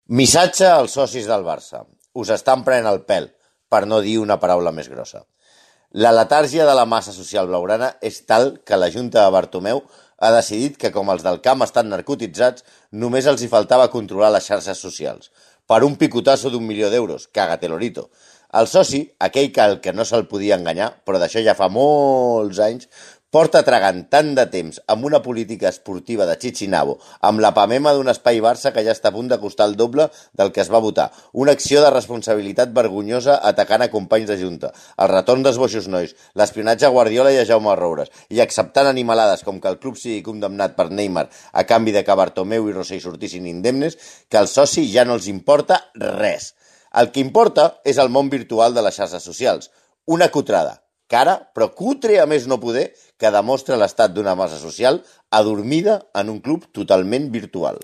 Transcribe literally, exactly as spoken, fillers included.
Missatge als socis del Barça: us estan prenent el pèl, per no dir una paraula més grossa. La letàrgia de la massa social blaugrana és tal que la Junta de Bartomeu ha decidit que, com els del camp estan narcotitzats, només els hi faltava controlar les xarxes socials. Per un picotasso d'un milió d'euros, cágate lorito. El soci, aquell que, el que no se'l podia enganyar, però d'això ja fa molts anys, porta tragant tant de temps amb una política esportiva de Chichinabo, amb la pamema d'un espai Barça que ja està a punt de costar el doble del que es va votar, una acció de responsabilitat vergonyosa atacant a companys de Junta, el retorn dels boixos nois, l'espionatge a Guardiola i a Jaume Roures, i acceptant animalades com que el club sigui condemnat per Neymar a canvi de que Bartomeu i Rosell sortissin indemnes, que al soci ja no els importa res. El que importa és el món virtual de les xarxes socials, una cutrada, cara, però cutre a més no poder, que demostra l'estat d'una massa social adormida en un club totalment virtual.